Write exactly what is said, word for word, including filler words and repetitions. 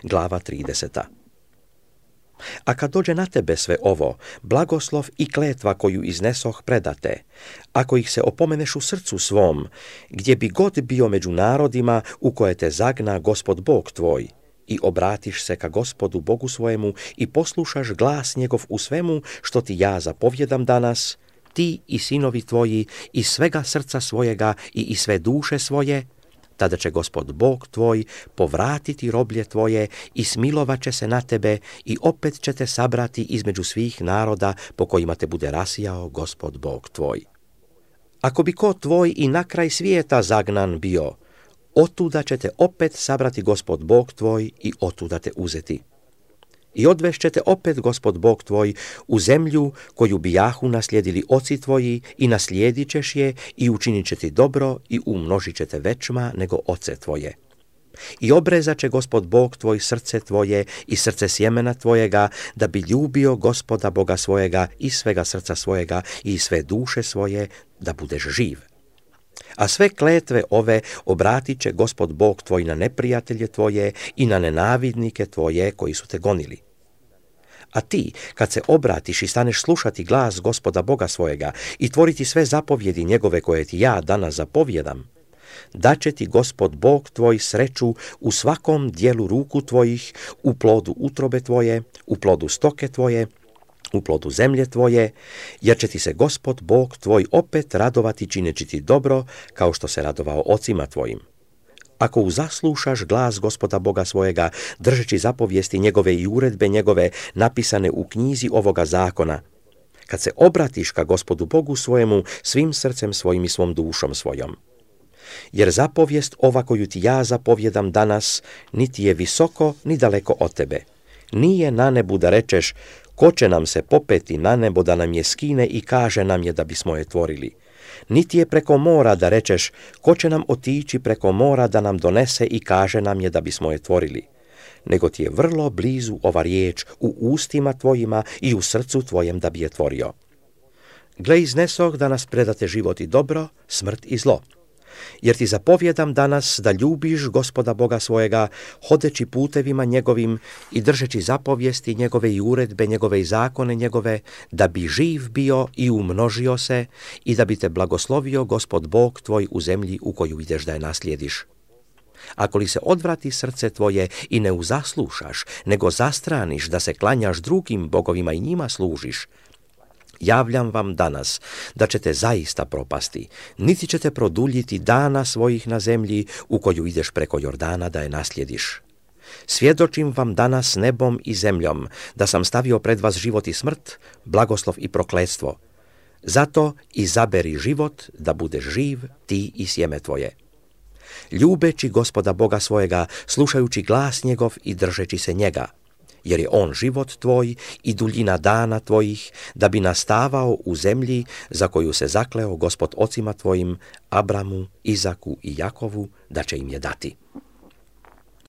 glava trideseta. A kad dođe na tebe sve ovo, blagoslov i kletva koju iznesoh predate, ako ih se opomeneš u srcu svom, gdje bi god bio među narodima u koje te zagna Gospod Bog tvoj, i obratiš se ka Gospodu Bogu svojemu i poslušaš glas njegov u svemu što ti ja zapovjedam danas, ti i sinovi tvoji iz svega srca svojega i iz sve duše svoje, tada će Gospod Bog tvoj povratiti roblje tvoje i smilovat će se na tebe i opet će te sabrati između svih naroda po kojima te bude rasijao Gospod Bog tvoj. Ako bi ko tvoj i na kraj svijeta zagnan bio, otuda će te opet sabrati Gospod Bog tvoj i otuda te uzeti. I odvešćete opet Gospod Bog tvoj u zemlju koju bijahu naslijedili oci tvoji i naslijedit ćeš je i učinit će ti dobro i umnožit će te većma nego oce tvoje. I obrezat će Gospod Bog tvoj srce tvoje i srce sjemena tvojega, da bi ljubio Gospoda Boga svojega i svega srca svojega i sve duše svoje, da budeš živ. A sve kletve ove obratit će Gospod Bog tvoj na neprijatelje tvoje i na nenavidnike tvoje koji su te gonili. A ti, kad se obratiš i staneš slušati glas Gospoda Boga svojega i tvoriti sve zapovjedi njegove koje ti ja danas zapovjedam, daće ti Gospod Bog tvoj sreću u svakom dijelu ruku tvojih, u plodu utrobe tvoje, u plodu stoke tvoje, u plodu zemlje tvoje, jer će ti se Gospod Bog tvoj opet radovati čineći ti dobro, kao što se radovao ocima tvojim. Ako uzaslušaš glas Gospoda Boga svojega, držeći zapovijesti njegove i uredbe njegove napisane u knjizi ovoga zakona, kad se obratiš ka Gospodu Bogu svojemu svim srcem svojim i svom dušom svojom. Jer zapovijest ova koju ti ja zapovjedam danas, niti je visoko ni daleko od tebe. Nije na nebu da rečeš, ko će nam se popeti na nebo da nam je skine i kaže nam je da bismo je tvorili. Niti je preko mora da rečeš, ko će nam otići preko mora da nam donese i kaže nam je da bismo je tvorili. Nego ti je vrlo blizu ova riječ u ustima tvojima i u srcu tvojem da bi je tvorio. Gle, iznesoh da nas predate život i dobro, smrt i zlo. Jer ti zapovjedam danas da ljubiš Gospoda Boga svojega, hodeći putevima njegovim i držeći zapovijesti njegove i uredbe njegove i zakone njegove, da bi živ bio i umnožio se i da bi te blagoslovio Gospod Bog tvoj u zemlji u koju ideš da je naslijediš. Ako li se odvrati srce tvoje i ne uzaslušaš, nego zastraniš da se klanjaš drugim bogovima i njima služiš, javljam vam danas da ćete zaista propasti, niti ćete produljiti dana svojih na zemlji u koju ideš preko Jordana da je naslijediš. Svjedočim vam danas nebom i zemljom da sam stavio pred vas život i smrt, blagoslov i prokletstvo. Zato izaberi život da budeš živ ti i sjeme tvoje. Ljubeći Gospoda Boga svojega, slušajući glas njegov i držeći se njega, jer je on život tvoj i duljina dana tvojih, da bi nastavao u zemlji za koju se zakleo Gospod ocima tvojim, Abramu, Izaku i Jakovu, da će im je dati.